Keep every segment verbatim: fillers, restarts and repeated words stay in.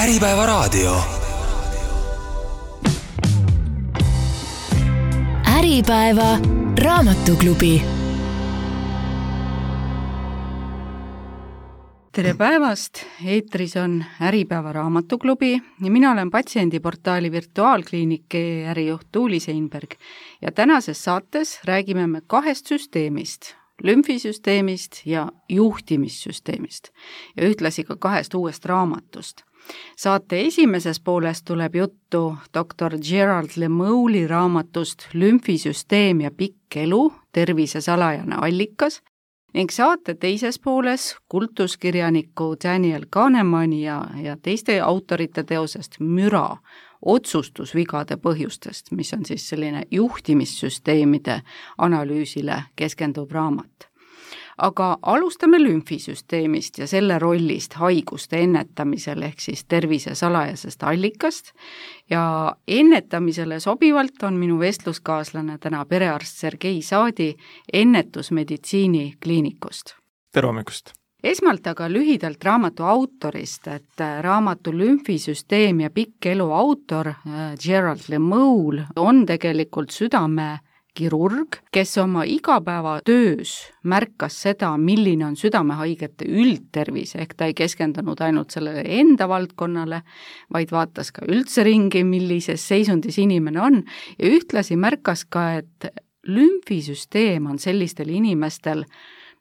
Äripäeva raadio. Äripäeva raamatuklubi. Tere päevast! Eetris on Äripäeva raamatuklubi ja mina olen patsiendiportaali virtuaalkliiniki ärijuht Tuuli Seinberg. Ja tänases saates räägime me kahest süsteemist, lümfisüsteemist ja juhtimissüsteemist ja ühtlasi ka kahest uuest raamatust. Saate esimeses pooles tuleb juttu doktor Gerald Lemoule'i raamatust Lümfisüsteem ja pikk elu, tervise salajane allikas ning saate teises pooles kultuskirjaniku Daniel Kahnemani ja, ja teiste autorite teosest Müra, otsustusvigade põhjustest, mis on siis selline juhtimissüsteemide analüüsile keskenduv raamat. Aga alustame lümfisüsteemist ja selle rollist haiguste ennetamisel ehk siis tervise salajasest allikast ja ennetamisele sobivalt on minu vestluskaaslane täna perearst Sergei Saadi ennetusmeditsiini kliinikust. Tere hommikust! Esmalt aga lühidalt raamatu autorist, et raamatu Lümfisüsteem ja pikk elu autor Gerald Lemoule on tegelikult südame kirurg, kes oma igapäevatöös märkas seda, milline on südamehaigete üldtervis, ehk ta ei keskendunud ainult sellele enda valdkonnale, vaid vaatas ka üldse ringi, millises seisundis inimene on ja ühtlasi märkas ka, et lümfisüsteem on sellistel inimestel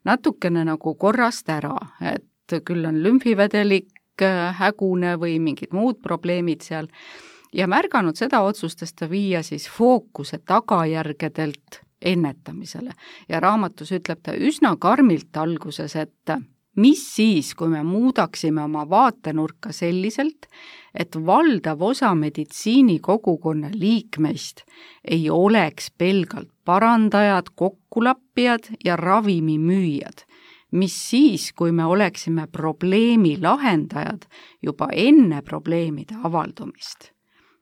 natukene nagu korrast ära, et küll on lümfivedelik hägune või mingid muud probleemid seal, ja märganud seda otsustas ta viia siis fookuse tagajärgedelt ennetamisele. Ja raamatus ütleb ta üsna karmilt alguses, et mis siis, kui me muudaksime oma vaatenurka selliselt, et valdav osa meditsiinikogukonna liikmeist ei oleks pelgalt parandajad, kokkulappijad ja ravimimüüjad. Mis siis, kui me oleksime probleemi lahendajad juba enne probleemide avaldumist.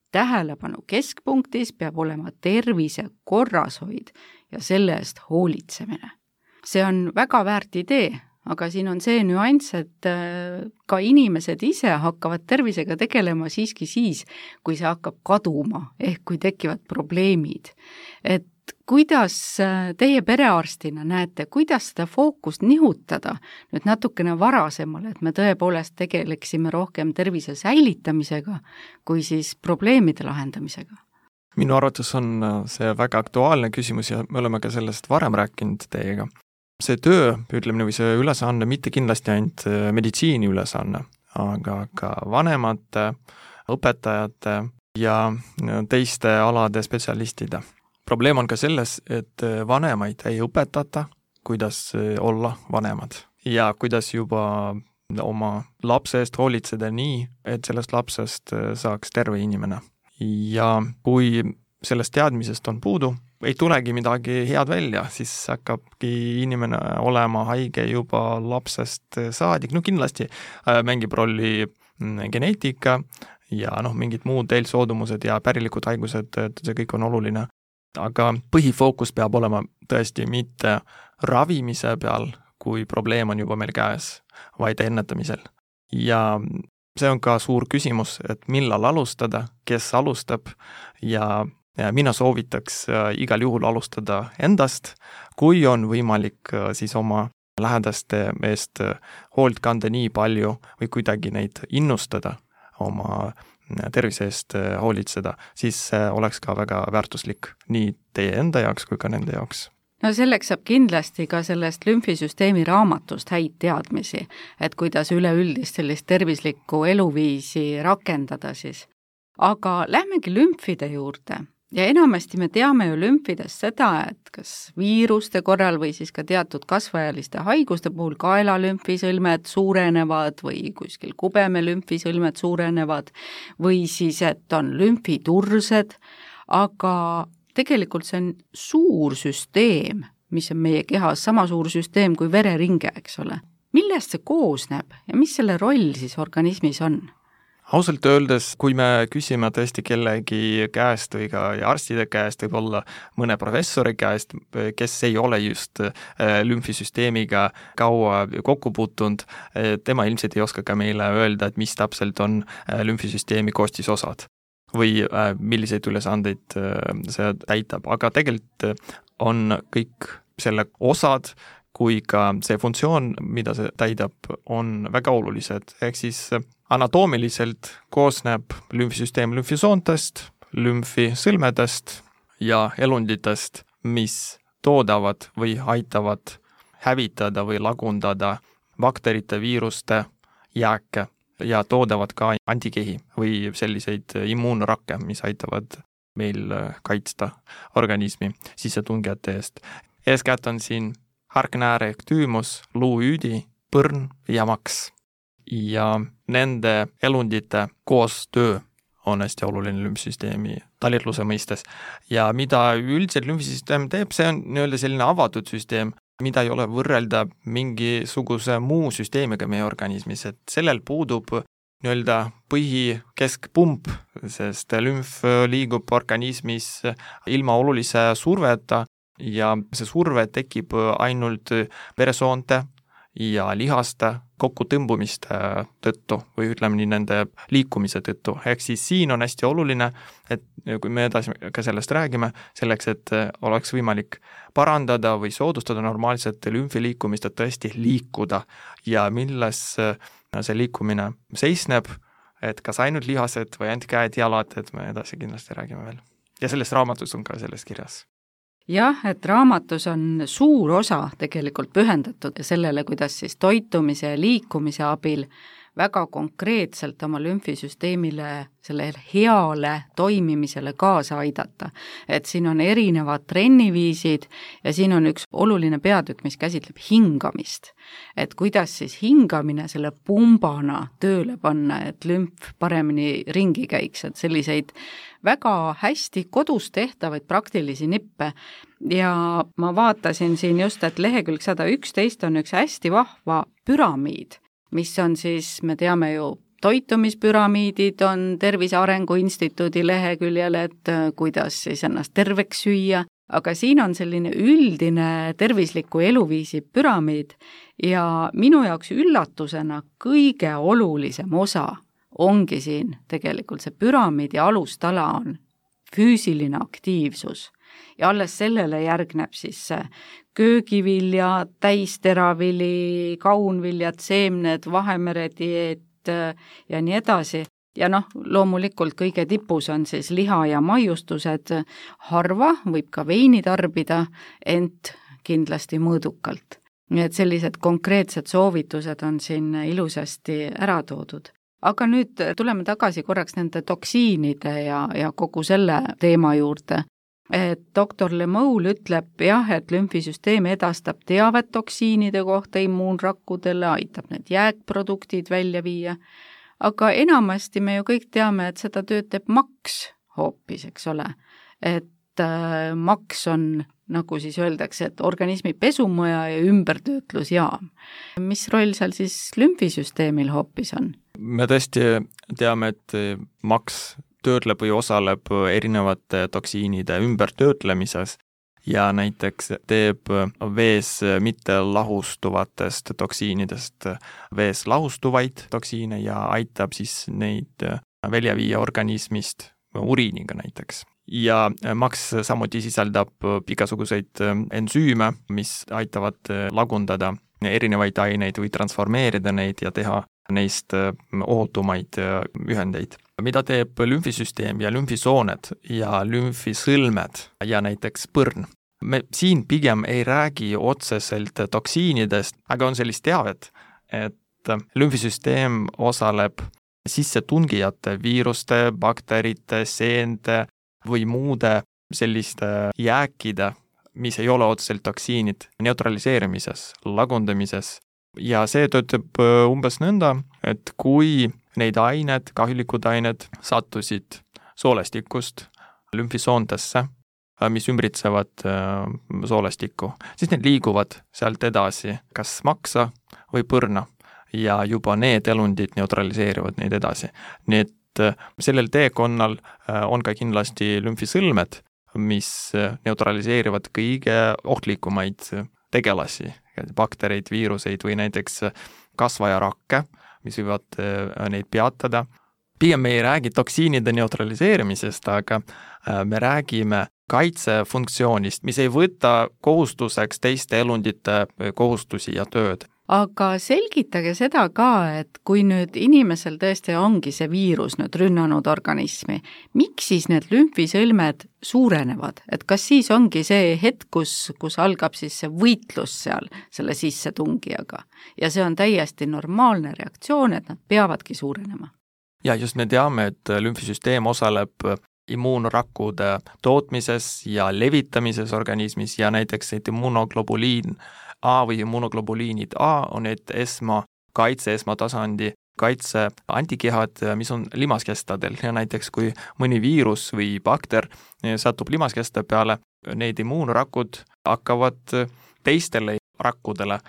Tähelepanu keskpunktis peab olema tervise korrashoid ja selle eest hoolitsemine. See on väga väärt idee, aga siin on see nüanss, et ka inimesed ise hakkavad tervisega tegelema siiski siis, kui see hakkab kaduma, ehk kui tekivad probleemid. Et kuidas teie perearstina näete, kuidas seda fookust nihutada nüüd natukene varasemale, et me tõepoolest tegeleksime rohkem tervise säilitamisega kui siis probleemide lahendamisega? Minu arvates on see väga aktuaalne küsimus ja me oleme ka sellest varem rääkinud teiega. See töö, ütleme või see ülesanne, mitte kindlasti ainult meditsiini ülesanne, aga ka vanemate, õpetajate ja teiste alade spetsialistide. Probleem on ka selles, et vanemaid ei õpetata, kuidas olla vanemad ja kuidas juba oma lapse eest hoolitseda nii, et sellest lapsest saaks terve inimene. Ja kui sellest teadmisest on puudu, ei tulegi midagi head välja, siis hakkabki inimene olema haige juba lapsest saadik. No kindlasti mängib rolli geneetika ja noh, mingid muud eelsoodumused ja pärilikud haigused, see kõik on oluline. Aga põhifookus peab olema tõesti mitte ravimise peal, kui probleem on juba meil käes, vaid ennetamisel. Ja see on ka suur küsimus, et millal alustada, kes alustab ja, ja mina soovitaks igal juhul alustada endast, kui on võimalik siis oma lähedaste eest hoolt kanda nii palju või kuidagi neid innustada oma tervise eest hoolitseda, siis oleks ka väga väärtuslik nii teie enda jaoks kui ka nende jaoks. No selleks saab kindlasti ka sellest lümfisüsteemi raamatust häid teadmisi, et kuidas üleüldist sellist tervislikku eluviisi rakendada siis. Aga lähmegi lümfide juurde. Ja enamasti me teame ju lümfidest seda, et kas viiruste korral või siis ka teatud kasvajaliste haiguste puhul kaelalümfisõlmed suurenevad või kuskil kubeme lümfisõlmed suurenevad või siis, et on lümfitursed, aga tegelikult see on suur süsteem, mis on meie kehas, sama suur süsteem kui vereringe, eks ole. Millest see koosneb ja mis selle roll siis organismis on? ausalt öeldes, kui me küsime tõesti kellegi käest või ka arstide käest, võib-olla mõne professori käest, kes ei ole just lümfisüsteemiga kaua kokku puutunud, tema ilmselt ei oska ka meile öelda, et mis täpselt on lümfisüsteemi koostisosad või milliseid ülesandeid see täitab, aga tegelikult on kõik selle osad, kui ka see funktsioon, mida see täidab, on väga olulised, ehk siis anatoomiliselt koosneb lümfisüsteem lümfisoontest, lümfisõlmedest ja elunditest, mis toodavad või aitavad hävitada või lagundada bakterite, viiruste jääke ja toodavad ka antikehi või selliseid immuunrakke, mis aitavad meil kaitsta organismi sissetungijate eest. Eeskätt on siin hargnääre ehk tüümus, luuüüdi, põrn ja maks. Ja nende elundite koostöö on hästi oluline lümfsüsteemi talitluse mõistes. Ja mida üldiselt lümfsüsteem teeb, see on nii-öelda selline avatud süsteem, mida ei ole võrrelda mingisuguse muu süsteemiga meie organismis, et sellel puudub nii-öelda põhikeskpump, sest lümf liigub organismis ilma olulise surveta ja see surve tekib ainult veresoonte ja lihaste kokkutõmbumiste tõttu või ütleme nii nende liikumise tõttu. Ehk siis siin on hästi oluline, et kui me edasi ka sellest räägime, selleks, et oleks võimalik parandada või soodustada normaalset lümfiliikumist, et tõesti liikuda ja milles see liikumine seisneb, et kas ainult lihased või ainult käed, jalad, et me edasi kindlasti räägime veel. Ja sellest raamatus on ka sellest kirjas. Jah, et raamatus on suur osa tegelikult pühendatud sellele, kuidas siis toitumise ja liikumise abil väga konkreetselt oma lümfisüsteemile, selle heale toimimisele kaasa aidata. Et siin on erinevad trenniviisid ja siin on üks oluline peatükk, mis käsitleb hingamist. Et kuidas siis hingamine selle pumbana tööle panna, et lümf paremini ringi käiks, et selliseid väga hästi kodus tehtavaid praktilisi nippe ja ma vaatasin siin just, et lehekülg sada üksteist on üks hästi vahva püramiid, mis on siis, me teame ju, toitumispüramiidid on Tervise Arengu Instituudi leheküljel, et kuidas siis ennast terveks süüa, aga siin on selline üldine tervisliku eluviisi püramiid ja minu jaoks üllatusena kõige olulisem osa ongi siin tegelikult see püramiidi alustala on füüsiline aktiivsus ja alles sellele järgneb siis köögivilja, täisteravili, kaunviljad, seemned, Vahemere dieet ja nii edasi. Ja noh, loomulikult kõige tipus on siis liha ja maiustused, harva võib ka veini tarbida, ent kindlasti mõõdukalt. Nii et sellised konkreetsed soovitused on siin ilusasti ära toodud. Aga nüüd tuleme tagasi korraks nende toksiinide ja, ja kogu selle teema juurde. Et doktor Lemoul ütleb jah, et lümfisüsteem edastab teavet toksiinide kohta immuunrakkudele, aitab need jääkproduktid välja viia, aga enamasti me ju kõik teame, et seda tööd teeb maks hoopis, eks ole. Et äh, maks on, nagu siis öeldakse, et organismi pesumaja ja ümbertöötlusjaam. Mis roll seal siis lümfisüsteemil hoopis on? Me tõesti teame, et maks töötleb või osaleb erinevate toksiinide ümbertöötlemises ja näiteks teeb vees mitte lahustuvatest toksiinidest vees lahustuvaid toksiine ja aitab siis neid välja viia organismist uriiniga näiteks. Ja maks samuti sisaldab igasuguseid ensüüme, mis aitavad lagundada erinevaid aineid või transformeerida neid ja teha neist ohutumaid ühendeid. Mida teeb lümfisüsteem ja lümfisooned ja lümfisõlmed ja näiteks põrn? Me siin pigem ei räägi otseselt toksiinidest, aga on sellist teavet, et lümfisüsteem osaleb sissetungijate viiruste, bakterite, seente või muude selliste jääkide, mis ei ole otseselt toksiinid, neutraliseerimises, lagundamises. Ja see töötab umbes nõnda, et kui neid ained, kahjulikud ained sattusid soolestikust lümfisoontesse, mis ümbritsevad soolestikku, siis need liiguvad sealt edasi kas maksa või põrna. ja juba need elundid neutraliseerivad neid edasi. Nii et sellel teekonnal on ka kindlasti lümfisõlmed, mis neutraliseerivad kõige ohtlikumaid tegelasi, baktereid, viiruseid või näiteks kasvajarakke, mis võivad neid peatada. Pigem me ei räägi toksiinide neutraliseerimisest, aga me räägime kaitsefunktsioonist, mis ei võta kohustuseks teiste elundite kohustusi ja tööd. Aga selgitage seda ka, et kui nüüd inimesel tõesti ongi see viirus nüüd rünnanud organismi, miks siis need lümfisõlmed suurenevad? Et kas siis ongi see hetk, kus, kus algab siis see võitlus seal selle sissetungijaga ja see on täiesti normaalne reaktsioon, et nad peavadki suurenema? Ja just me teame, et lümfisüsteem osaleb immuunrakkude tootmises ja levitamises organismis ja näiteks et immunoglobuliin A või immunoglobuliinid A on need esma kaitse, esmatasandi kaitse antikehad, mis on limaskestadel ja näiteks kui mõni viirus või bakter satub limaskeste peale, need immuunrakud hakkavad teistele rakkudele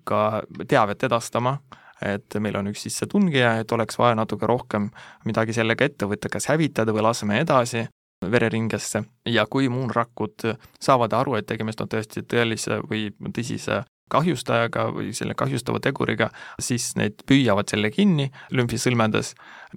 ka teavet edastama, et meil on üks sissetungija, et oleks vaja natuke rohkem midagi sellega ette võtta, kas hävitada või laseme edasi vereringesse. Ja kui immuunrakud saavad aru, et tegemist on tõesti tõelise või tõsise kahjustajaga või selle kahjustava teguriga, siis need püüavad selle kinni lümfisõlmedes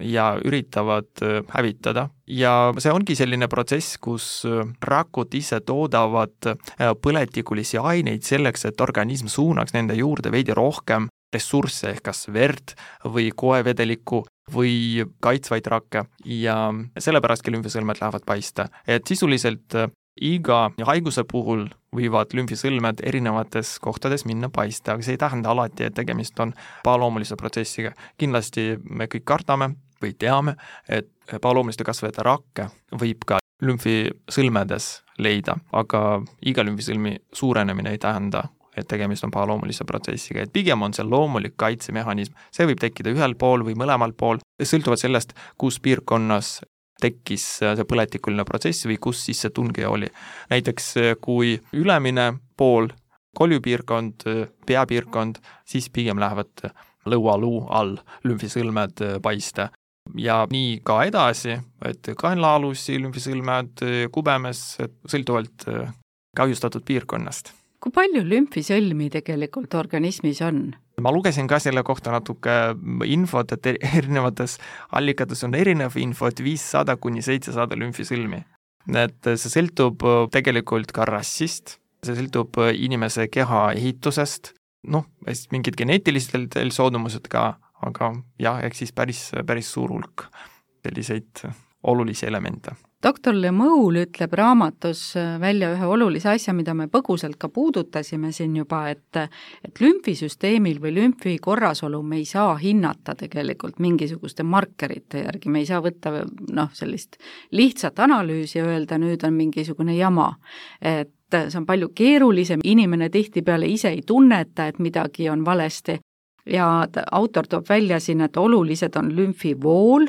ja üritavad hävitada. Ja see ongi selline protsess, kus rakud ise toodavad põletikulisi aineid selleks, et organism suunaks nende juurde veidi rohkem ressursse ehk kas verd või koevedelikku või kaitsvaid rakke ja sellepärastki lümfisõlmed lähevad paista. Et sisuliselt iga haiguse puhul võivad lümfisõlmed erinevates kohtades minna paista, aga see ei tähenda alati, et tegemist on pahaloomulise protsessiga. Kindlasti me kõik kardame või teame, et pahaloomuliste kasvajate rakke võib ka lümfisõlmedes leida, aga iga lümfisõlmi suurenemine ei tähenda, et tegemist on pahaloomulise protsessiga, et pigem on see loomulik kaitsemehhanism. See võib tekkida ühel pool või mõlemal pool, sõltuvalt sellest, kus piirkonnas tekkis see põletikuline protsess või kus siis see tungija oli. Näiteks kui ülemine pool, koljupiirkond, peapiirkond, siis pigem lähevad lõualuu all lümfisõlmed paista. Ja nii ka edasi, et kaenlaalusi lümfisõlmed kubemes, sõltuvalt kahjustatud piirkonnast. Kui palju lümfisõlmi tegelikult organismis on? Ma lugesin ka selle kohta natuke infot, et erinevates allikates on erinev info, et viissada kuni seitsesada lümfisõlmi. Et see sõltub tegelikult ka rassist, see sõltub inimese keha ehitusest, noh, mingid geneetilised soodumused ka, aga jah, ehk siis päris, päris suur hulk selliseid olulisi elemente. doktor Lemoul ütleb raamatus välja ühe olulise asja, mida me põgusalt ka puudutasime siin juba, et, et lümfisüsteemil või lümfi korrasolu me ei saa hinnata tegelikult mingisuguste markerite järgi, me ei saa võtta noh, sellist lihtsat analüüsi ja öelda, nüüd on mingisugune jama, et see on palju keerulisem, inimene tihtipeale ise ei tunneta, et midagi on valesti ja autor toob välja siin, et olulised on lümfivool,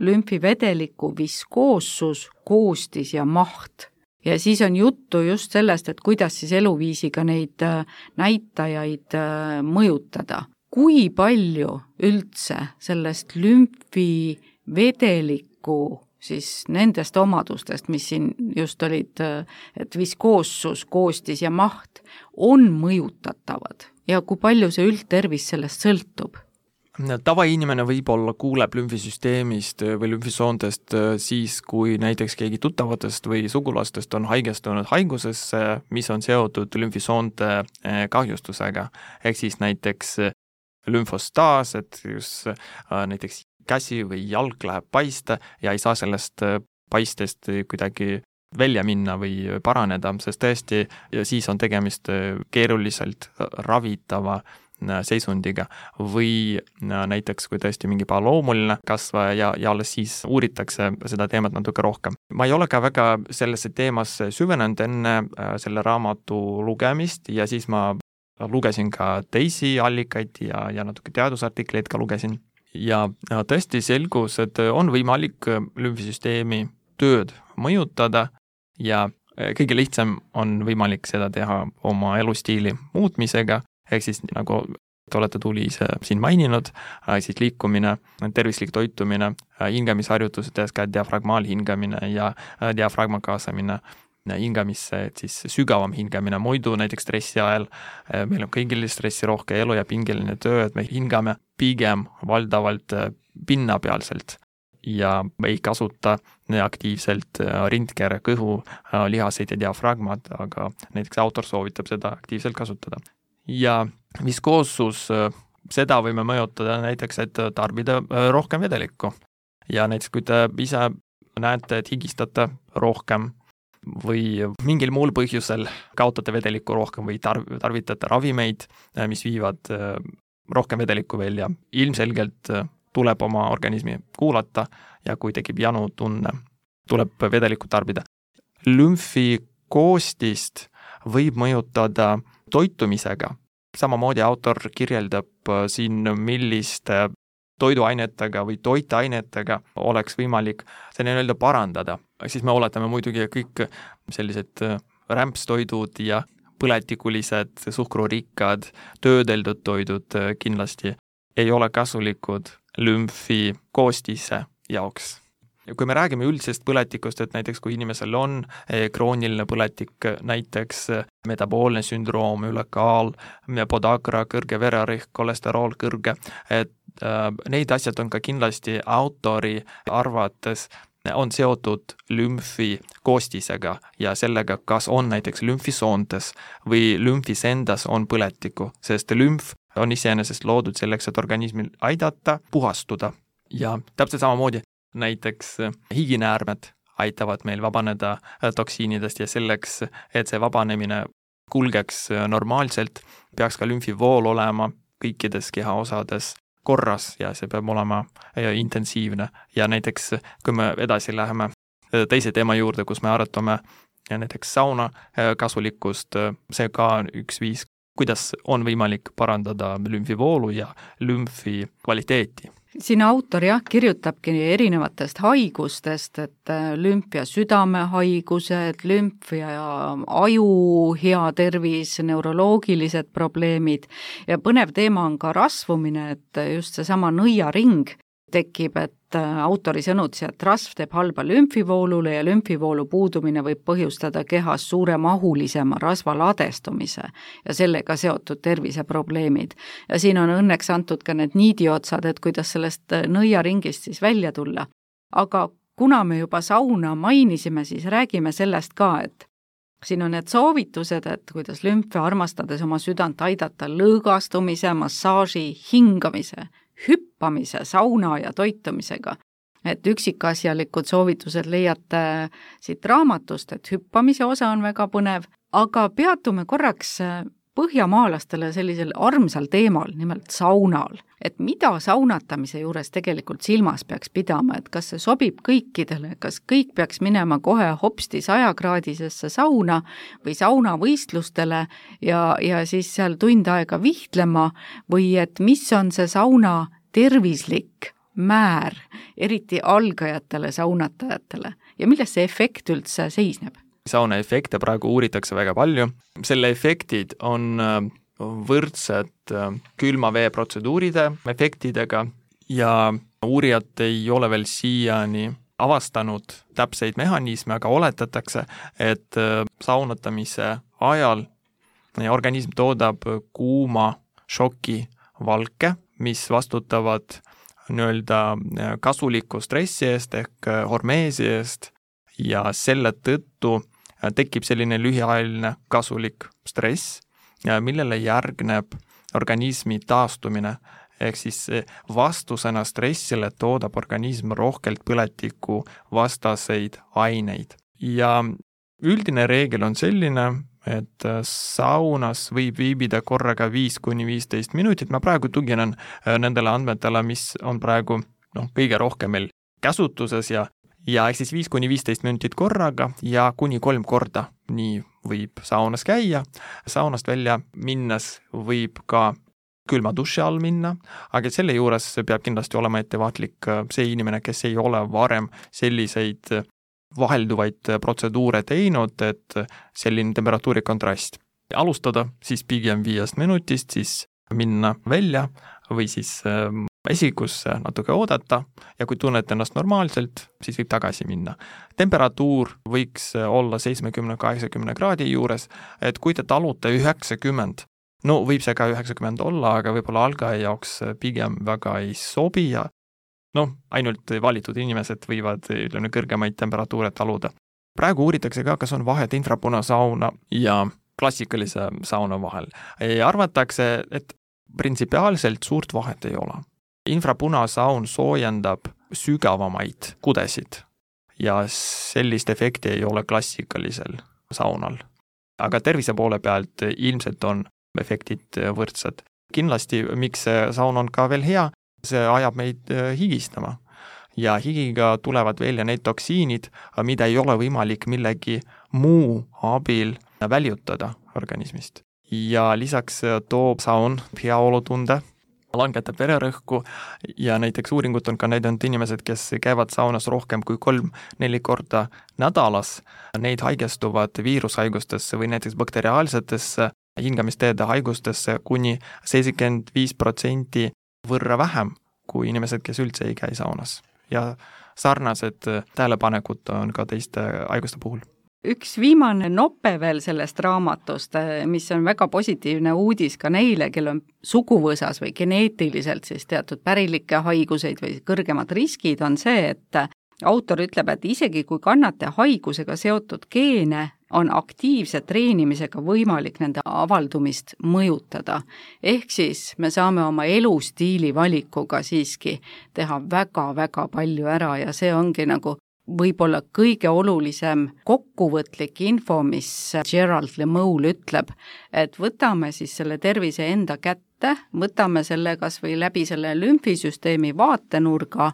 lümfivedeliku viskoossus, koostis ja maht. Ja siis on juttu just sellest, et kuidas siis eluviisiga neid näitajaid mõjutada. Kui palju üldse sellest lümfivedeliku siis nendest omadustest, mis siin just olid, et viskoossus, koostis ja maht, on mõjutatavad ja kui palju see üldtervis sellest sõltub? Tavainimene võib-olla kuuleb lümfisüsteemist või lümfisoontest siis, kui näiteks keegi tuttavatest või sugulastest on haigestunud haigusesse, mis on seotud lümfisoonte kahjustusega. Ehk siis näiteks lümfostaas, et just näiteks käsi või jalg läheb paista ja ei saa sellest paistest kuidagi välja minna või paraneda, sest tõesti siis on tegemist keeruliselt ravitava seisundiga või näiteks kui tõesti mingi pahaloomuline kasvaja ja, ja alles siis uuritakse seda teemat natuke rohkem. Ma ei ole ka väga sellesse teemasse süvenenud enne selle raamatu lugemist ja siis ma lugesin ka teisi allikaid ja, ja natuke teadusartikleid ka lugesin ja tõesti selgus, et on võimalik lümfisüsteemi tööd mõjutada ja kõige lihtsam on võimalik seda teha oma elustiili muutmisega, ehk siis nagu te olete tuli ise siin maininud, siis liikumine, tervislik toitumine, hingamisharjutused, eeskätt diafragmaalhingamine ja diafragma kaasamine hingamisse, et siis sügavam hingamine, muidu näiteks stressi ajal meil on kõigil stressi rohke elu ja pingeline töö, et me hingame pigem valdavalt pinnapealselt ja ei kasuta aktiivselt rindkere, kõhu, lihaseid ja diafragmat, aga näiteks autor soovitab seda aktiivselt kasutada. Ja viskoossus, seda võime mõjutada näiteks, et tarbida rohkem vedelikku. Ja näiteks, kui te ise näete, et higistate rohkem või mingil muul põhjusel kaotate vedelikku rohkem või tarv- tarvitate ravimeid, mis viivad rohkem vedelikku välja, ilmselgelt tuleb oma organismi kuulata ja kui tekib janu tunne, tuleb vedelikku tarbida. Lümfi koostist võib mõjutada toitumisega. Samamoodi autor kirjeldab siin, milliste toiduainetega või toitainetega oleks võimalik see nii-öelda parandada. Siis me oletame muidugi kõik sellised rämpstoidud ja põletikulised, suhkrurikkad, töödeldud toidud kindlasti ei ole kasulikud lümfi koostise jaoks. Ja kui me räägime üldisest põletikust, et näiteks kui inimesel on krooniline põletik, näiteks metaboolne sündroom, ülekaal, podagra, kõrge vererõhk, kolesterool kõrge, et äh, neid asjad on ka kindlasti autori arvates on seotud lümfi koostisega ja sellega, kas on näiteks lümfisoontes või lümfis endas on põletiku, sest lümf on iseenesest loodud selleks, et organismil aidata puhastuda ja täpselt samamoodi näiteks higinäärmed aitavad meil vabaneda toksiinidest ja selleks, et see vabanemine kulgeks normaalselt, peaks ka lümfivool olema kõikides kehaosades korras ja see peab olema intensiivne. Ja näiteks, kui me edasi läheme teise teema juurde, kus me arutame näiteks sauna kasulikkust, see ka on üks viis, kuidas on võimalik parandada lümfivoolu ja lümfi kvaliteeti. Siin autor jah, kirjutabki erinevatest haigustest, et lümf ja südamehaigused, lümf ja aju hea tervis, neuroloogilised probleemid ja põnev teema on ka rasvumine, et just seesama nõiaring tekib, et autori sõnutsi, et rasv teeb halba lümfivoolule ja lümfivoolu puudumine võib põhjustada kehas suuremahulisema rasva ladestumise ja sellega seotud terviseprobleemid. Ja siin on õnneks antud ka need niidiotsad, et kuidas sellest nõiaringist siis välja tulla. Aga kuna me juba sauna mainisime, siis räägime sellest ka, et siin on need soovitused, et kuidas lümfe armastades oma südant aidata lõõgastumise, massaaži, hingamise, hüppamise, sauna ja toitumisega. Et üksikasjalikud soovitused leiate siit raamatust, et hüppamise osa on väga põnev, aga peatume korraks põhjamaalastele sellisel armsal teemal, nimelt saunal. Et mida saunatamise juures tegelikult silmas peaks pidama, et kas see sobib kõikidele, kas kõik peaks minema kohe hopsti sajakraadisesse sauna või saunavõistlustele ja, ja siis seal tund aega vihtlema või et mis on see sauna tervislik määr, eriti algajatele saunatajatele ja milles see efekt üldse seisneb? Sauna efekte praegu uuritakse väga palju. Selle efektid on võrdsed külma vee protseduuride efektidega ja uurijad ei ole veel siiani avastanud täpseid mehhanisme, aga oletatakse, et saunatamise ajal organism toodab kuuma šoki valke, mis vastutavad nii-öelda kasuliku stressi eest ehk hormeesi eest ja selle tõttu tekib selline lühiajaline kasulik stress, millele järgneb organismi taastumine, ehk siis vastusena stressile toodab organism rohkelt põletiku vastaseid aineid. Ja üldine reegel on selline, et saunas võib viibida korraga viis kuni viisteist minutit, ma praegu tuginen nendele andmetele, mis on praegu no, kõige rohkem meil käsutuses ja Ja ehk siis viis kuni viisteist minutit korraga ja kuni kolm korda nii võib saunas käia. Saunast välja minnes võib ka külma duši all minna, aga selle juures peab kindlasti olema ettevaatlik see inimene, kes ei ole varem selliseid vahelduvaid protseduure teinud, et selline temperatuuri kontrast. Alustada siis pigem viiest minutist, siis minna välja või siis esikusse natuke oodata ja kui tunned ennast normaalselt, siis võib tagasi minna. Temperatuur võiks olla seitsmekümne kaheksakümne kraadi juures, et kui te talute üheksakümmend, no võib see ka üheksakümmend olla, aga võib-olla algaja jaoks pigem väga ei sobi ja noh, ainult valitud inimesed võivad ütleme, kõrgemaid temperatuure taluda. Praegu uuritakse ka, kas on vahet infrapunasauna ja klassikalise sauna vahel. Arvatakse, et printsipiaalselt suurt vahet ei ole. Infrapunasaun soojendab sügavamaid kudesid ja sellist efekti ei ole klassikalisel saunal. Aga tervise poole pealt ilmselt on efektid võrdsed. Kindlasti, miks see saun on ka veel hea, see ajab meid higistama ja higiga tulevad välja need toksiinid, mida ei ole võimalik millegi muu abil väljutada organismist. Ja lisaks toob saun heaolutunde, langetab vererõhku ja näiteks uuringut on ka näidanud inimesed, kes käivad saunas rohkem kui kolm-neli korda nädalas, neid haigestuvad viirushaigustesse või näiteks bakteriaalsetesse hingamisteede haigustesse kuni seitsekümmend viis protsenti võrra vähem kui inimesed, kes üldse ei käi saunas. Ja sarnased tähelepanekud on ka teiste haiguste puhul. Üks viimane nope veel sellest raamatust, mis on väga positiivne uudis ka neile, kel on suguvõsas või geneetiliselt siis teatud pärilikke haiguseid või kõrgemad riskid, on see, et autor ütleb, et isegi kui kannate haigusega seotud geene, on aktiivse treenimisega võimalik nende avaldumist mõjutada. Ehk siis me saame oma elustiili valikuga siiski teha väga-väga palju ära ja see ongi nagu võib-olla kõige olulisem kokkuvõtlik info, mis Gerald Lemoul ütleb, et võtame siis selle tervise enda kätte, võtame selle kas või läbi selle lümfisüsteemi vaatenurga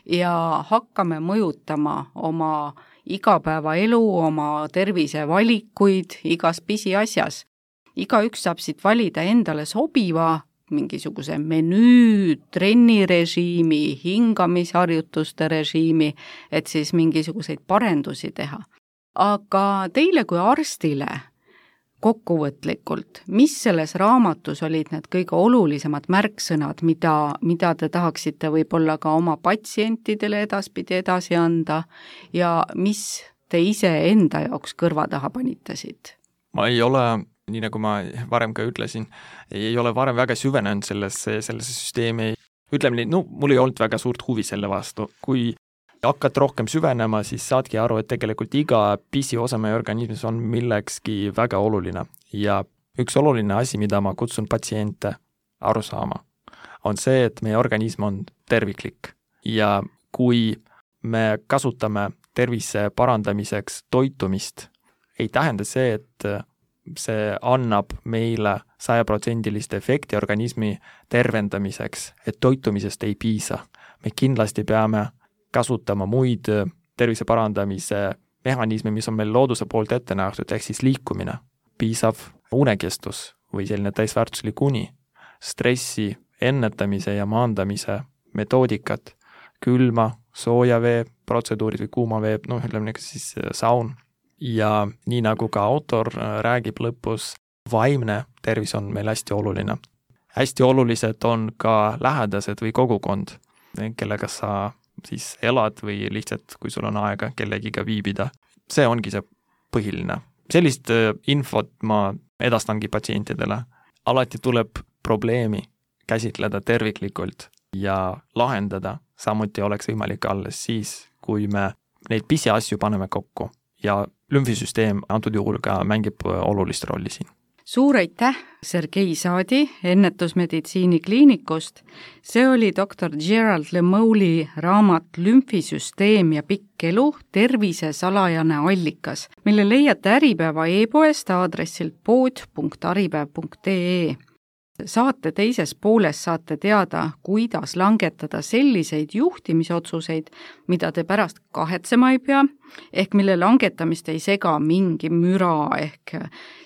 ja hakkame mõjutama oma igapäevaelu, oma tervisevalikuid igas pisiasjas. Igaüks saab siit valida endale sobiva mingisuguse menüü, trennirežiimi, hingamisharjutuste režiimi, et siis mingisuguseid parendusi teha. Aga teile kui arstile kokkuvõtlikult, mis selles raamatus olid need kõige olulisemad märksõnad, mida, mida te tahaksite võib-olla ka oma patsientidele edaspidi edasi anda ja mis te ise enda jaoks kõrva taha panitasid? Ma ei ole nii nagu ma varem ka ütlesin, ei ole varem väga süvenenud sellesse, sellesse süsteemi. Ütleme nii, no mul ei olnud väga suurt huvi selle vastu. Kui hakkad rohkem süvenema, siis saadki aru, et tegelikult iga pisiosa meie organismis on millekski väga oluline. Ja üks oluline asi, mida ma kutsun patsiente aru saama, on see, et meie organism on terviklik. Ja kui me kasutame tervise parandamiseks toitumist, ei tähenda see, et see annab meile sajaprotsendilist efekti organismi tervendamiseks, et toitumisest ei piisa. Me kindlasti peame kasutama muid tervise parandamise mehhanisme, mis on meil looduse poolt ette nähtud, ehk siis liikumine, piisav unekestus või selline täisväärtuslik uni, stressi ennetamise ja maandamise metoodikat, külma, sooja vee protseduurid või kuuma vee, noh, ütleme siis saun. Ja nii nagu ka autor räägib lõpus, vaimne tervis on meil hästi oluline. Hästi olulised on ka lähedased või kogukond, kellega sa siis elad või lihtsalt, kui sul on aega kellegiga viibida. See ongi see põhiline. Sellist infot ma edastangi patsientidele. Alati tuleb probleemi käsitleda terviklikult ja lahendada. Samuti oleks võimalik alles siis, kui me neid pisiasju paneme kokku ja lümfisüsteem antud juhul ka mängib olulist rolli siin. Suur aitäh, Sergei Saadi ennetusmeditsiini kliinikust. See oli doktor Gerald Lemouli raamat Lümfisüsteem ja pikk elu, tervise salajane allikas, mille leiate Äripäeva e-poest aadressilt pood punkt äripäev punkt ee. Saate teises pooles saate teada, kuidas langetada selliseid juhtimisotsuseid, mida te pärast kahetsema ei pea, ehk mille langetamist ei sega mingi müra, ehk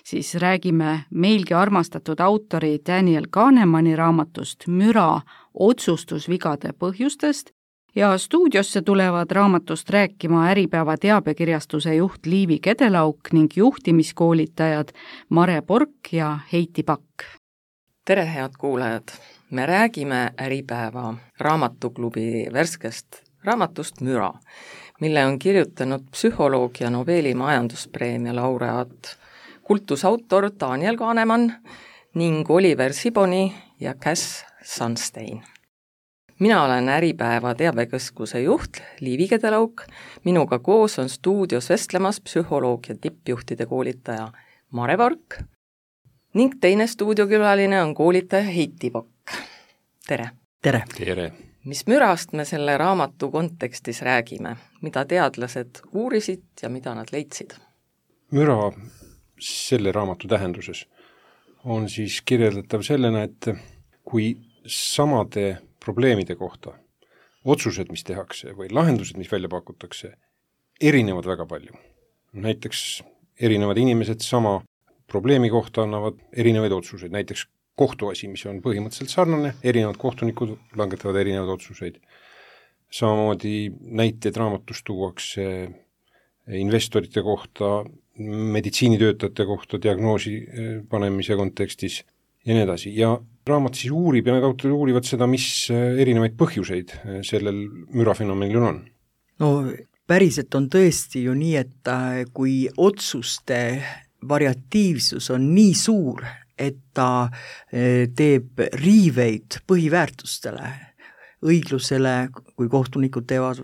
siis räägime meilgi armastatud autori Daniel Kahnemani raamatust Müra otsustusvigade põhjustest ja stuudiosse tulevad raamatust rääkima Äripäeva teabekirjastuse juht Liivi Kedelauk ning juhtimiskoolitajad Mare Pork ja Heiti Pakk. tere, head kuulajad! Me räägime Äripäeva raamatuklubi värskest raamatust Müra, mille on kirjutanud psühholoog ja Nobeli majanduspreemia laureaat, kultusautor Daniel Kahnemann ning Oliver Siboni ja Cass Sunstein. Mina olen Äripäeva teabekeskuse juht Liivi Kedelauk, minuga koos on stuudios vestlemas psühholoog ja tippjuhtide koolitaja Mare Vark ning teine stuudiokülaline on koolitaja Heiti Pakk. Tere! Tere! Tere! Mis mürast me selle raamatu kontekstis räägime? Mida teadlased uurisid ja mida nad leidsid? Müra selle raamatu tähenduses on siis kirjeldatav sellena, et kui samade probleemide kohta otsused, mis tehakse või lahendused, mis välja pakutakse, erinevad väga palju. Näiteks erinevad inimesed sama probleemi kohta annavad erinevaid otsuseid, näiteks kohtuasi, mis on põhimõtteliselt sarnane, erinevad kohtunikud langetavad erinevaid otsuseid. Samamoodi näiteid raamatus tuuakse investorite kohta, meditsiinitöötajate kohta, diagnoosi panemise kontekstis ja nii edasi. Ja raamat siis uurib ja need autorid uurivad seda, mis erinevaid põhjuseid sellel mürafenomenil on. No päriselt on tõesti ju nii, et kui otsuste variatiivsus on nii suur, et ta teeb riiveid põhiväärtustele, õiglusele, kui kohtunikud teevad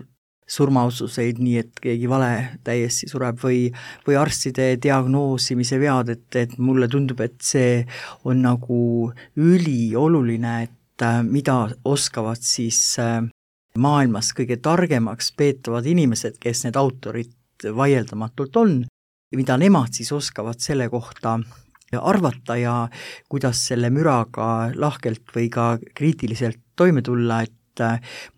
surmaotsuseid nii, et keegi vale täiesti sureb või, või arstide diagnoosimise vead, et, et mulle tundub, et see on nagu ülioluline, et mida oskavad siis maailmas kõige targemaks peetavad inimesed, kes need autorid vaieldamatult on, mida nemad siis oskavad selle kohta arvata ja kuidas selle müraga lahkelt või ka kriitiliselt toime tulla, et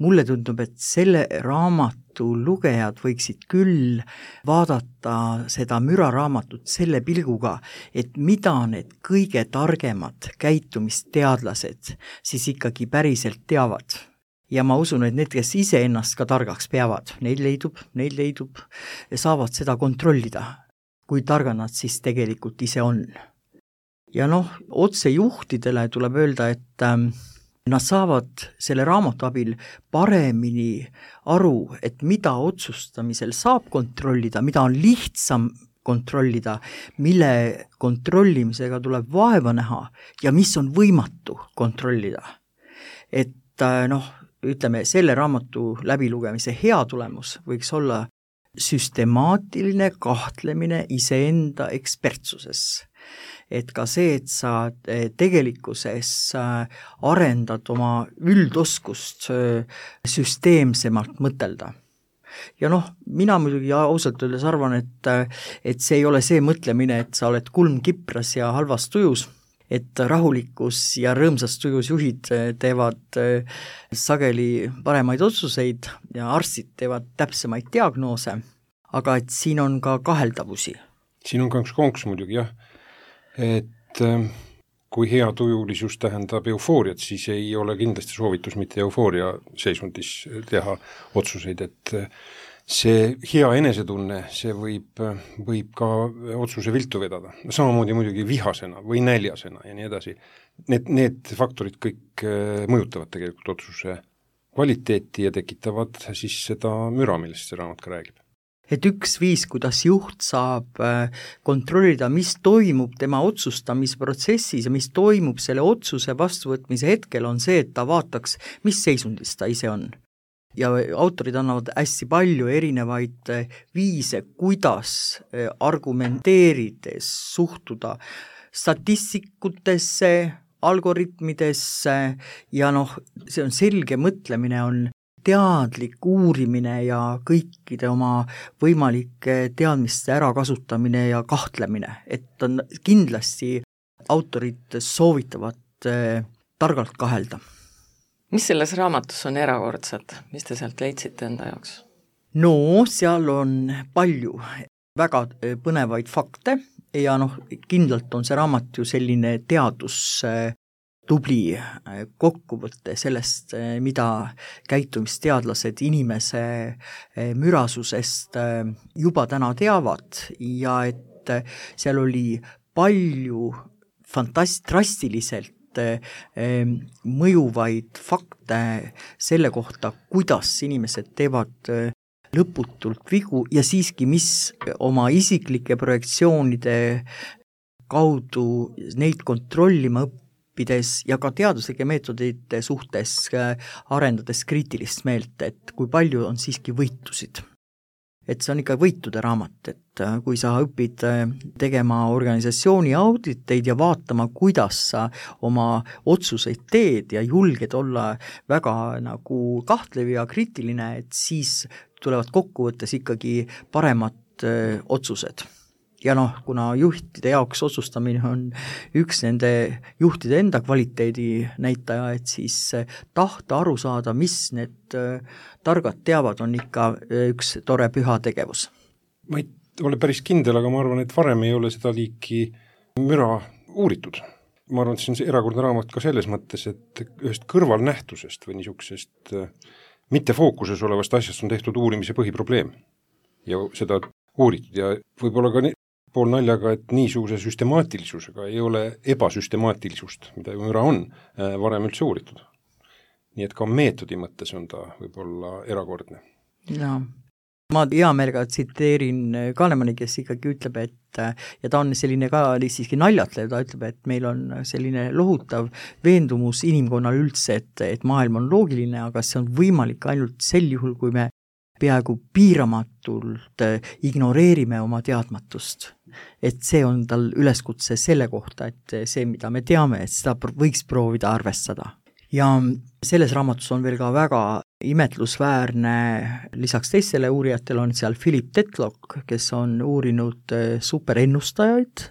mulle tundub, et selle raamatu lugejad võiksid küll vaadata seda müraraamatut selle pilguga, et mida need kõige targemad käitumisteadlased siis ikkagi päriselt teavad. Ja ma usun, et need, kes ise ennast ka targaks peavad, neid leidub, neid leidub ja saavad seda kontrollida, kui targa nad siis tegelikult ise on. Ja noh, otsejuhtidele tuleb öelda, et ähm, nad saavad selle raamatu abil paremini aru, et mida otsustamisel saab kontrollida, mida on lihtsam kontrollida, mille kontrollimisega tuleb vaeva näha ja mis on võimatu kontrollida. Et äh, noh, ütleme, selle raamatu läbilugemise hea tulemus võiks olla süstemaatiline kahtlemine iseenda ekspertsuses. Et ka see, et sa tegelikkuses arendad oma üldoskust süsteemsemalt mõtelda. Ja noh, mina muidugi ausalt öeldes arvan, et, et see ei ole see mõtlemine, et sa oled kulm kipras ja halvas tujus, et rahulikus ja rõõmsas tujus juhid teevad sageli paremaid otsuseid ja arstid teevad täpsemaid diagnoose, aga et siin on ka kaheldavusi. Siin on ka üks konks muidugi, jah, et kui hea tujulisus tähendab eufooriat, siis ei ole kindlasti soovitus mitte eufooria seisundis teha otsuseid, et see hea enesetunne, see võib, võib ka otsuse viltu vedada. Samamoodi muidugi vihasena või näljasena ja nii edasi. Need, need faktorid kõik mõjutavad tegelikult otsuse kvaliteeti ja tekitavad siis seda müra, millest see raamat ka räägib. Et üks viis, kuidas juht saab kontrollida, mis toimub tema otsustamisprotsessis ja mis toimub selle otsuse vastuvõtmise hetkel, on see, et ta vaataks, mis seisundis ta ise on. Ja autorid annavad hästi palju erinevaid viise, kuidas argumenteerides suhtuda statistikutesse, algoritmidesse ja noh, see on selge mõtlemine, on teadlik uurimine ja kõikide oma võimalike teadmiste ärakasutamine ja kahtlemine, et on kindlasti autorid soovitavad targalt kahelda. Mis selles raamatus on erakordset? Mis te sealt leidsite enda jaoks? No, seal on palju väga põnevaid fakte ja noh, kindlalt on see raamat ju selline teadus tubli kokkuvõtte sellest, mida käitumisteadlased inimese mürasusest juba täna teavad ja et seal oli palju fantast- drastiliselt mõjuvaid fakte selle kohta, kuidas inimesed teevad lõputult vigu ja siiski, mis oma isiklike projektsioonide kaudu neid kontrollima õppides ja ka teaduslike meetodite suhtes arendades kriitilist meelt, et kui palju on siiski võitusid. Et see on ikka võitude raamat, et kui sa õpid tegema organisatsiooni auditeid ja vaatama, kuidas sa oma otsuseid teed ja julged olla väga nagu kahtlev ja kriitiline, et siis tulevad kokkuvõttes ikkagi paremad öö, otsused. Ja noh, kuna juhtide jaoks otsustamine on üks nende juhtide enda kvaliteedi näitaja, et siis tahta aru saada, mis need targad teavad, on ikka üks tore püha tegevus. Ma ei ole päris kindel, aga ma arvan, et varem ei ole seda liiki müra uuritud. Ma arvan, et see on see erakordne raamat ka selles mõttes, et ühest kõrvalnähtusest või niisugusest mitte fookuses olevast asjast on tehtud uurimise põhiprobleem ja seda uuritud ja võib-olla ka pool naljaga, et niisuguse süstemaatilisusega ei ole ebasüstemaatilisust, mida ju müra on, varem üldse uuritud. Nii et ka meetodi mõttes on ta võib-olla erakordne. Jaa. Ma hea meelega tsiteerin Kahnemani, kes ikkagi ütleb, et ja ta on selline ka siiski naljatlev, ta ütleb, et meil on selline lohutav veendumus inimkonnal üldse, et, et maailm on loogiline, aga see on võimalik ainult sel juhul, kui me peaaegu piiramatult ignoreerime oma teadmatust. Et see on tal üleskutse selle kohta, et see, mida me teame, et seda võiks proovida arvestada. Ja selles raamatus on veel ka väga imetlusväärne, lisaks teistele uurijatele on seal Philip Tetlock, kes on uurinud superennustajaid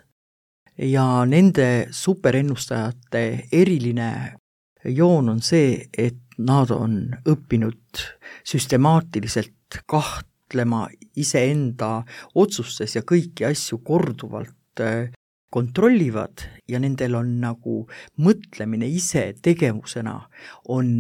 ja nende superennustajate eriline joon on see, et nad on õppinud süstemaatiliselt kahtlema iseenda otsustes ja kõiki asju korduvalt kontrollivad ja nendel on nagu mõtlemine ise tegevusena on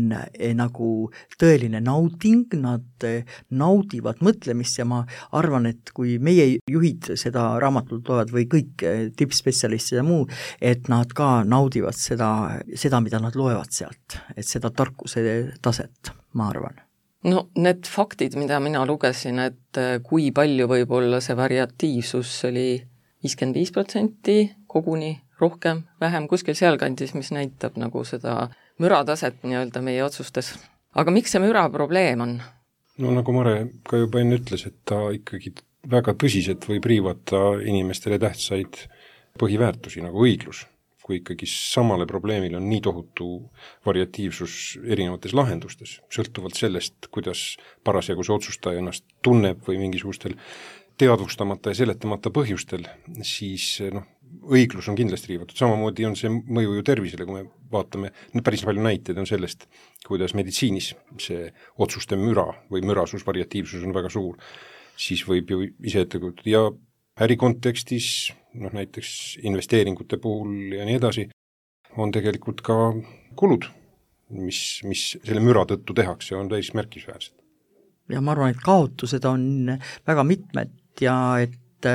nagu tõeline nauding, nad naudivad mõtlemist ja ma arvan, et kui meie juhid seda raamatut loevad või kõik tippspetsialistid ja muu, et nad ka naudivad seda, seda, mida nad loevad sealt, et seda tarkuse taset, ma arvan. No need faktid, mida mina lugesin, et kui palju võib olla see variatiivsus oli viiskümmend viis protsenti koguni, rohkem, vähem, kuskil sealkandis, mis näitab nagu seda mürataset nii-öelda meie otsustes. Aga miks see müra probleem on? No nagu Mare ka juba enne ütles, et ta ikkagi väga tõsiselt võib riivata inimestele tähtsaid põhiväärtusi nagu õiglus, kui ikkagi samale probleemile on nii tohutu variatiivsus erinevates lahendustes, sõltuvalt sellest, kuidas parasjagu see otsustaja ennast tunneb või mingisugustel teadvustamata ja seletamata põhjustel, siis noh, õiglus on kindlasti riivatud. Samamoodi on see mõju ju tervisele, kui me vaatame, päris palju näiteid on sellest, kuidas meditsiinis see otsuste müra või mürasus, variatiivsus on väga suur, siis võib ju ise ette kujutada ja ärikontekstis, noh näiteks investeeringute puhul ja nii edasi, on tegelikult ka kulud, mis, mis selle müra tõttu tehakse, on täis märkisväärsed. Ja ma arvan, et kaotused on väga mitmed ja et,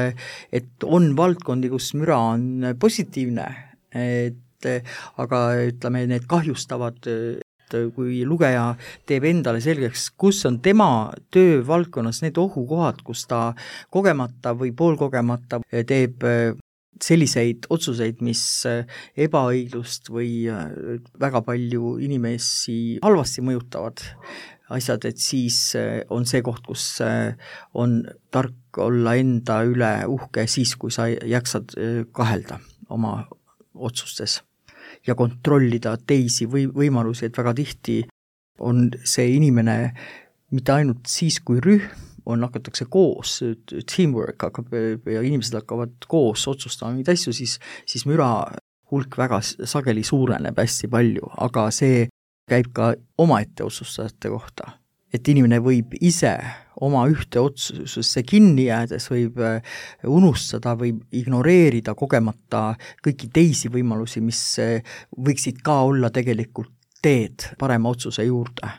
et on valdkondi, kus müra on positiivne, et aga ütleme, need kahjustavad, et kui lugeja teeb endale selgeks, kus on tema töövaldkonnas need ohukohad, kus ta kogemata või poolkogemata teeb selliseid otsuseid, mis ebaõiglust või väga palju inimesi halvasti mõjutavad asjad, et siis on see koht, kus on tark olla enda üle uhke siis, kui sa jaksad kahelda oma otsustes ja kontrollida teisi või võimalusi, et väga tihti on see inimene mitte ainult siis, kui rühm on, hakatakse koos, teamwork hakkab ja inimesed hakkavad koos otsustama mingeid asju, siis, siis müra hulk väga sageli suureneb hästi palju, aga see käib ka omaette otsustajate kohta. Et inimene võib ise oma ühte otsusesse kinni jäädes võib unustada või ignoreerida kogemata kõiki teisi võimalusi, mis võiksid ka olla tegelikult teed parema otsuse juurde.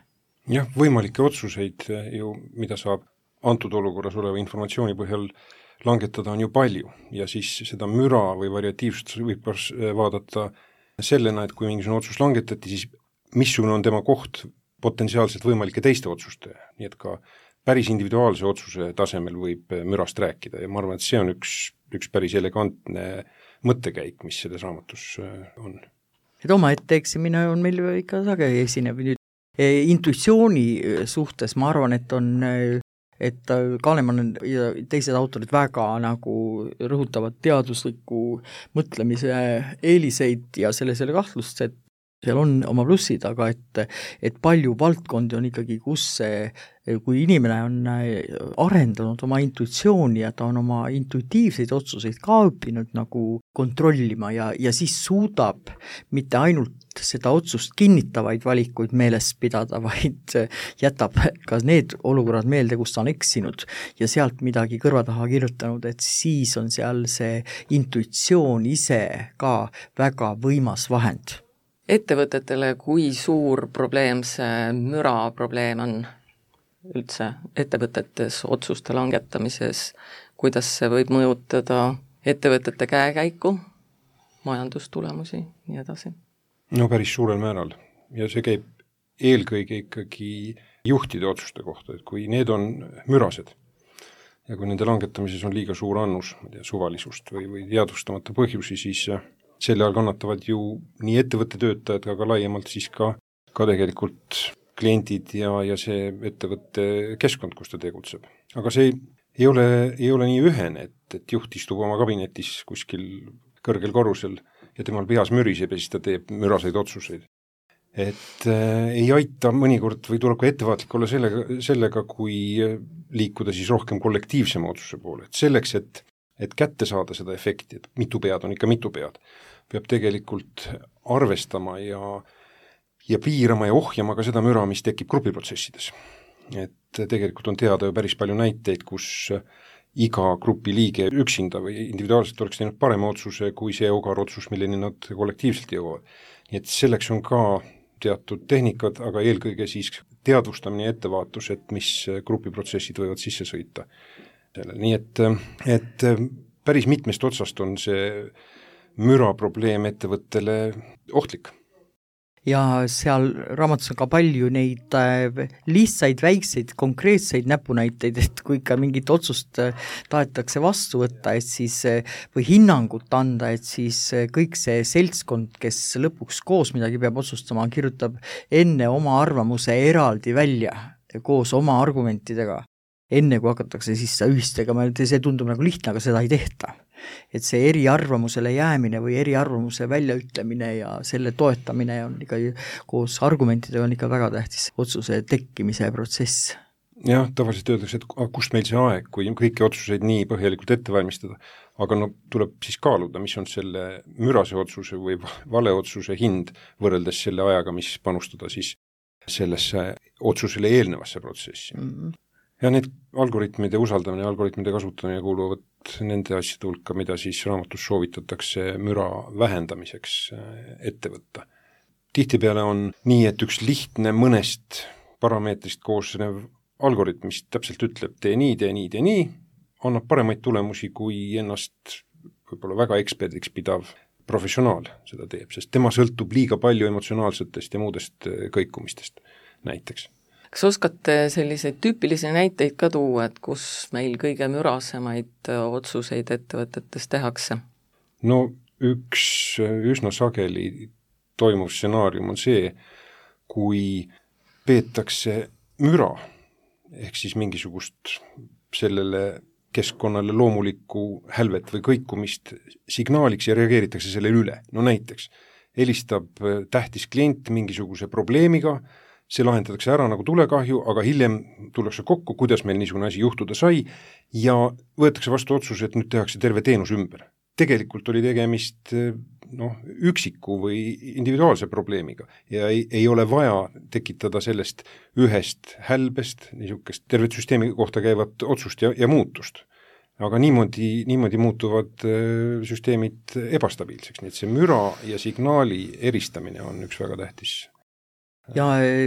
Jah, võimalikke otsuseid ju, mida saab antud olukorras oleva informatsiooni põhjal langetada, on ju palju ja siis seda müra või variatiivsust võib vaadata sellena, et kui mingisugune otsus langetati, siis missugune on tema koht potentsiaalselt võimalike teiste otsuste, nii et ka päris individuaalse otsuse tasemel võib mürast rääkida ja ma arvan, et see on üks, üks päris elegantne mõttekäik, mis selles raamatus on. Et omaette eksimine on meil ikka sageli esinev nüüd. Intuitsiooni suhtes ma arvan, et on, et Kahnemann ja teised autorid väga nagu rõhutavad teadusliku mõtlemise eeliseid ja selle, selle kahtlust, et seal on oma plussid, aga et, et palju valdkondi on ikkagi, kus see, kui inimene on arendanud oma intuitsiooni ja ta on oma intuitiivseid otsuseid ka õppinud nagu kontrollima ja, ja siis suudab mitte ainult seda otsust kinnitavaid valikuid meeles pidada, vaid jätab ka need olukorrad meelde, kus ta on eksinud ja sealt midagi kõrva taha kirjutanud, et siis on seal see intuitsioon ise ka väga võimas vahend. Ettevõtetele, kui suur probleem see müra probleem on üldse ettevõtetes otsuste langetamises, kuidas see võib mõjutada ettevõtete käekäiku, majandustulemusi, nii edasi? No päris suurel määral ja see käib eelkõige ikkagi juhtide otsuste kohta, et kui need on mürased ja kui nende langetamises on liiga suur annus, ma tea, suvalisust või, või teadvustamata põhjusi, siis selle all kannatavad ju nii ettevõtte töötajad, aga laiemalt siis ka, ka tegelikult kliendid ja, ja see ettevõtte keskkond, kus ta tegutseb. Aga see ei ole, ei ole nii ühene, et, et juht istub oma kabinetis kuskil kõrgel korrusel ja temal peas müriseb ja siis ta teeb müraseid otsuseid. Et äh, ei aita mõnikord või tuleb ka ettevaatlik olla sellega, sellega, kui liikuda siis rohkem kollektiivsema otsuse poole. Et selleks, et et kätte saada seda efekti, et mitu pead on ikka mitu pead, peab tegelikult arvestama ja, ja piirama ja ohjama ka seda müra, mis tekib grupiprotsessides. Et tegelikult on teada ju päris palju näiteid, kus iga grupi liige üksinda või individuaalselt oleks teinud parema otsuse kui see ogar otsus, milleni nad kollektiivselt jõuavad. Nii et selleks on ka teatud tehnikad, aga eelkõige siis teadvustamine ja ettevaatus, et mis grupiprotsessid võivad sisse sõita. Nii et, et päris mitmest otsast on see müra probleem ettevõttele ohtlik. Ja seal raamatus on ka palju neid lihtsaid, väikseid, konkreetseid näpunäiteid, et kui ikka mingit otsust tahetakse vastu võtta, et siis, või hinnangut anda, et siis kõik see seltskond, kes lõpuks koos midagi peab otsustama, kirjutab enne oma arvamuse eraldi välja, koos oma argumentidega. Enne kui hakatakse siis ühistegema, see tundub nagu lihtne, aga seda ei tehta. Et see eriarvamusele jäämine või eriarvamuse väljaütlemine ja selle toetamine on ikka koos argumentidega on ikka väga tähtis otsuse tekkimise protsess. Jah, tavaliselt öeldakse, et kust meil see aeg, kui kõiki otsuseid nii põhjalikult ette valmistada, aga no tuleb siis kaaluda, mis on selle mürase otsuse või vale otsuse hind võrreldes selle ajaga, mis panustada siis sellesse otsusele eelnevasse protsessi. Mm-hmm. Ja need algoritmide usaldamine ja algoritmide kasutamine kuuluvad nende asjade hulka, mida siis raamatus soovitatakse müra vähendamiseks ette võtta. Tihtipeale on nii, et üks lihtne mõnest parameetrist koosnev algoritm, mis täpselt ütleb, tee nii, tee nii, tee nii, annab paremaid tulemusi, kui ennast võib-olla väga eksperdiks pidav professionaal seda teeb, sest tema sõltub liiga palju emotsionaalsetest ja muudest kõikumistest näiteks. Kas oskate selliseid tüüpilisi näiteid ka tuua, et kus meil kõige mürasemaid otsuseid ettevõtetes tehakse? No üks üsna sageli toimuv stsenaarium on see, kui peetakse müra, ehk siis mingisugust sellele keskkonnale loomulikku hälvet või kõikumist signaaliks ja reageeritakse sellele üle. No näiteks helistab tähtis klient mingisuguse probleemiga, see lahendatakse ära nagu tulekahju, aga hiljem tullakse kokku, kuidas meil niisugune asi juhtuda sai ja võetakse vastu otsus, et nüüd tehakse terve teenus ümber. Tegelikult oli tegemist noh, üksiku või individuaalse probleemiga ja ei, ei ole vaja tekitada sellest ühest hälbest niisugust tervet süsteemi kohta käivat otsust ja, ja muutust. Aga niimoodi, niimoodi muutuvad süsteemid ebastabiilseks, nii et see müra ja signaali eristamine on üks väga tähtis. Ja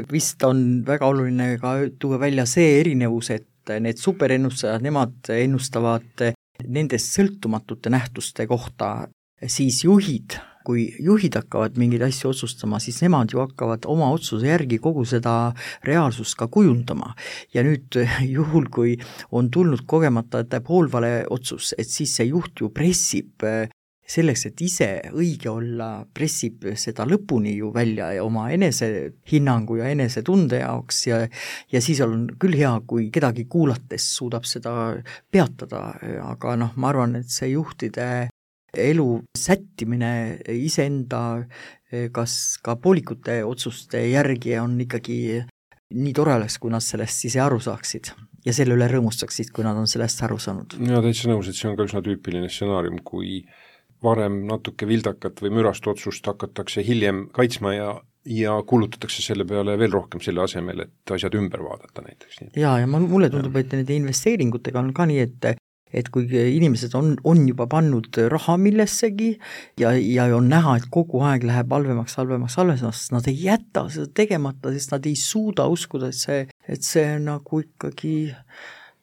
vist on väga oluline ka tuua välja see erinevus, et need superennustajad, nemad ennustavad nendest sõltumatute nähtuste kohta, siis juhid kui juhid hakkavad mingeid asju otsustama, siis nemad ju hakkavad oma otsuse järgi kogu seda reaalsust ka kujundama. Ja nüüd juhul, kui on tulnud kogemata poolvale otsus, et siis see juht ju pressib selleks, et ise õige olla, pressib seda lõpuni ju välja ja oma enese hinnangu ja enese tunde jaoks ja, ja siis on küll hea, kui kedagi kuulates suudab seda peatada, aga noh, ma arvan, et see juhtide elu sättimine iseenda kas ka poolikute otsuste järgi on ikkagi nii tore oleks, kui nad sellest ise aru saaksid ja selle üle rõõmustaksid, kui nad on sellest aru saanud. Ja täitsa nõus, et see on ka üsna tüüpiline stsenaarium, kui varem natuke vildakat või mürast otsust hakatakse hiljem kaitsma ja, ja kuulutatakse selle peale veel rohkem selle asemel, et asjad ümber vaadata näiteks. Ja, ja mulle tundub, et nende investeeringutega on ka nii, et et kui inimesed on, on juba pannud raha millessegi ja, ja on näha, et kogu aeg läheb halvemaks, halvemaks, halvemaks, nad ei jäta seda tegemata, sest nad ei suuda uskuda, et see, et see nagu ikkagi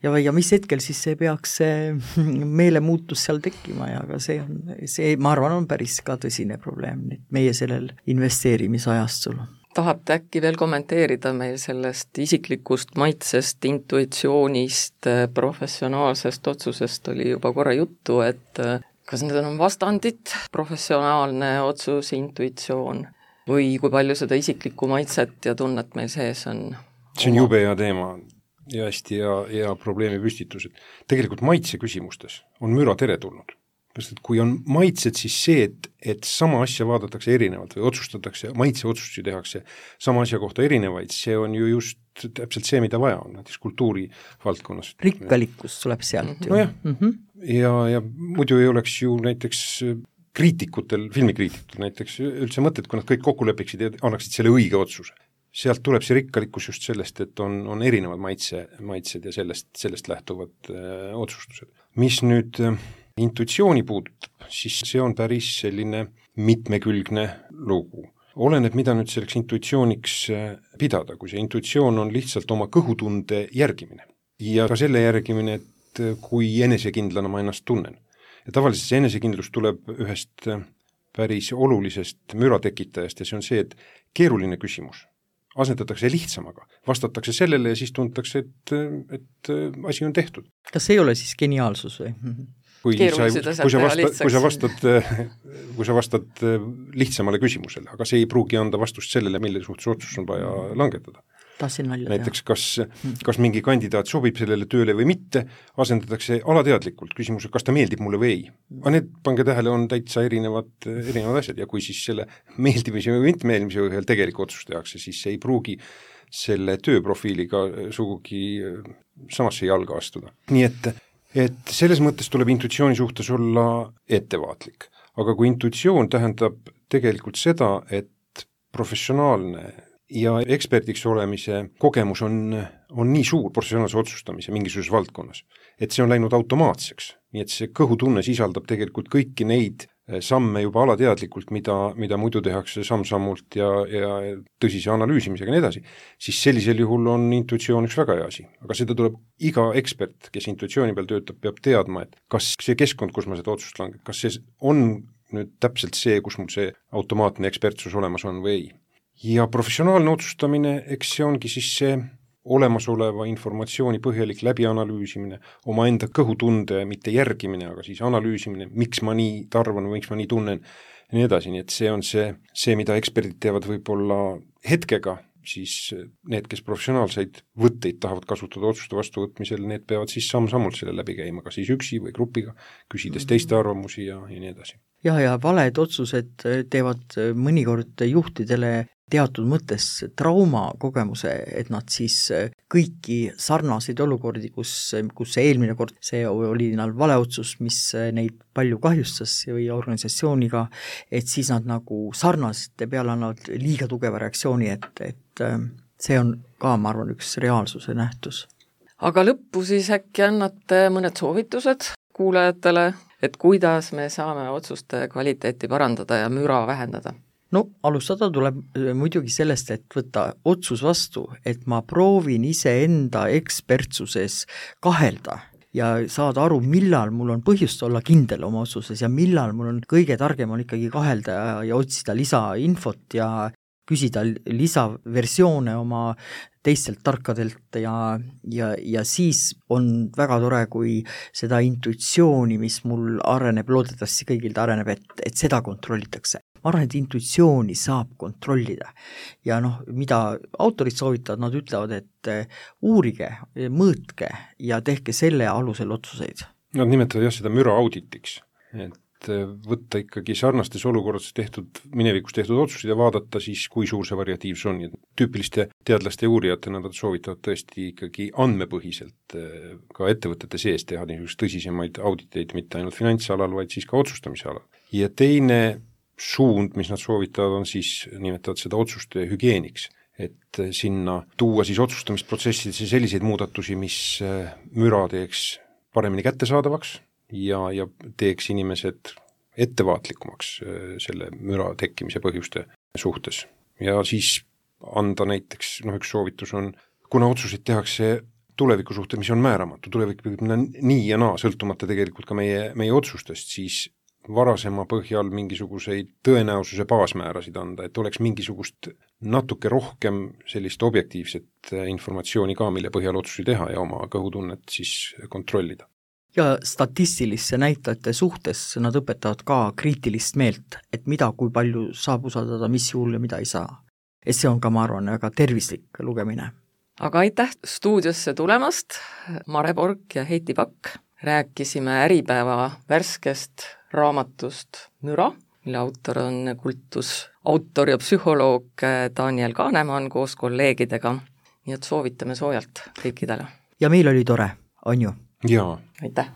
ja, ja mis hetkel siis see peaks see meelemuutus seal tekkima ja aga see on, see, ma arvan, on päris ka tõsine probleem meie sellel investeerimisajastul. Tahate äkki veel kommenteerida meil sellest isiklikust maitsest, intuitsioonist, professionaalsest otsusest oli juba korra juttu, et kas need on vastandid, professionaalne otsus, intuitsioon või kui palju seda isiklikku maitset ja tunnet meil sees on? See on jube hea teema ja hästi hea, hea probleemi püstitus, et tegelikult maitse küsimustes on müra teretulnud. Sest kui on maitsed, siis see, et, et sama asja vaadatakse erinevalt või otsustatakse, maitse otsustusi tehakse sama asja kohta erinevaid, see on ju just täpselt see, mida vaja on, näiteks kultuuri valdkonnas. Rikkalikkus tuleb sealt ju. No jah, mm -hmm. ja, ja muidu ei oleks ju näiteks kriitikutel, filmikriitikutel näiteks üldse mõtet, kui nad kõik kokku lepiksid ja annaksid selle õige otsuse. Sealt tuleb see rikkalikkus just sellest, et on, on erinevad maitse, maitsed ja sellest, sellest lähtuvad äh, otsustused. Mis nüüd äh, intuitsiooni puudutab, siis see on päris selline mitmekülgne lugu. Oleneb, mida nüüd selleks intuitsiooniks pidada, kui see intuitsioon on lihtsalt oma kõhutunde järgimine. Ja ka selle järgimine, et kui enesekindlana ma ennast tunnen. Ja tavaliselt see enesekindlus tuleb ühest päris olulisest müratekitajast ja see on see, et keeruline küsimus asendatakse lihtsamaga, vastatakse sellele ja siis tuntakse, et, et asi on tehtud. Kas ei ole siis geniaalsus või? Kui sa, kui, sa vastad, kui, sa vastad, kui sa vastad lihtsamale küsimusele, aga see ei pruugi anda vastust sellele, mille suhtes otsus on vaja langetada. Näiteks kas, kas mingi kandidaat sobib sellele tööle või mitte, asendatakse alateadlikult küsimuse, kas ta meeldib mulle või ei. Aga need, pange tähele, on täitsa erinevad, erinevad asjad ja kui siis selle meeldimise või mitmeelmise ühel tegelik otsus tehakse, siis see ei pruugi selle tööprofiiliga sugugi samasse jalga astuda. Nii et et selles mõttes tuleb intuitsiooni suhtes olla ettevaatlik. Aga kui intuitsioon tähendab tegelikult seda, et professionaalne ja eksperdiks olemise kogemus on, on nii suur professionaalse otsustamise mingisuguses valdkonnas, et see on läinud automaatseks. Nii et see kõhutunne sisaldab tegelikult kõiki neid samme juba alateadlikult, mida, mida muidu tehakse samm-sammult ja, ja tõsise analüüsimisega ja nii edasi, siis sellisel juhul on intuitsioon üks väga hea asi. Aga seda tuleb iga ekspert, kes intuitsiooni peal töötab, peab teadma, et kas see keskkond, kus ma seda otsust langeb, kas see on nüüd täpselt see, kus mul see automaatne ekspertsus olemas on või ei. Ja professionaalne otsustamine, eks see ongi siis see olemasoleva informatsiooni põhjalik läbianalüüsimine, oma enda kõhutunde mitte järgimine, aga siis analüüsimine, miks ma nii tarvan või miks ma nii tunnen ja nii edasi, nii et see on see, see, mida eksperdid teevad võib-olla hetkega, siis need, kes professionaalseid võtteid tahavad kasutada otsuste vastuvõtmisel, need peavad siis samm-sammult selle läbi käima, ka siis üksi või grupiga, küsides teiste arvamusi ja, ja nii edasi. Ja, ja valed otsused teevad mõnikord juhtidele teatud mõttes trauma kogemuse, et nad siis kõiki sarnaseid olukordi, kus, kus see eelmine kord see oli neil valeotsus, mis neid palju kahjustas või organisatsiooniga, et siis nad nagu sarnasete peale annavad liiga tugeva reaktsiooni, et, et see on ka, ma arvan, üks reaalsuse nähtus. Aga lõppu siis äkki annate mõned soovitused kuulajatele, et kuidas me saame otsuste kvaliteeti parandada ja müra vähendada? No alustada tuleb muidugi sellest, et võtta otsus vastu, et ma proovin ise enda ekspertsuses kahelda ja saada aru, millal mul on põhjust olla kindel oma otsuses ja millal mul on kõige targem on ikkagi kahelda ja, ja otsida lisainfot ja küsida lisaversioone oma teistelt tarkadelt ja, ja, ja siis on väga tore, kui seda intuitsiooni, mis mul areneb, loodetavasti kõigil ta areneb, et, et seda kontrollitakse. Ma arvan, et intuitsiooni saab kontrollida ja noh, mida autorid soovitavad, nad ütlevad, et uurige, mõõtke ja tehke selle alusel otsuseid. Nad nimetavad jah seda müra auditiks, et võtta ikkagi sarnastes olukordades tehtud, minevikus tehtud otsuseid ja vaadata siis, kui suur see variatiivsus on. Tüüpiliste teadlaste ja uurijatena nad soovitavad tõesti ikkagi andmepõhiselt ka ettevõtete sees teha niisugust tõsisemaid auditeid, mitte ainult finantsalal, vaid siis ka otsustamise alal. Ja teine suund, mis nad soovitavad, on siis, nimetavad seda otsuste hügieeniks, et sinna tuua siis otsustamisprotsessidesse selliseid muudatusi, mis müra teeks paremini kättesaadavaks ja, ja teeks inimesed ettevaatlikumaks selle müra tekkimise põhjuste suhtes. Ja siis anda näiteks, noh üks soovitus on, kuna otsuseid tehakse tuleviku suhtes, mis on määramatu, tulevik võib minna nii ja naa, sõltumata tegelikult ka meie, meie otsustest, siis varasema põhjal mingisuguseid tõenäosuse baasmäärasid anda, et oleks mingisugust natuke rohkem sellist objektiivset informatsiooni ka, mille põhjal otsusi teha ja oma kõhutunnet siis kontrollida. Ja statistilisse näitajate suhtes nad õpetavad ka kriitilist meelt, et mida, kui palju saab usaldada, mis juhul ja mida ei saa. Et see on ka, ma arvan, väga tervislik lugemine. Aga aitäh stuudiosse tulemast, Mare Bork ja Heiti Pakk. Rääkisime Äripäeva värskest raamatust Müra, mille autor on kultusautor ja psühholoog Daniel Kahnemann koos kolleegidega. Nii et soovitame soojalt kõikidele. Ja meil oli tore, on ju? Jaa. Aitäh!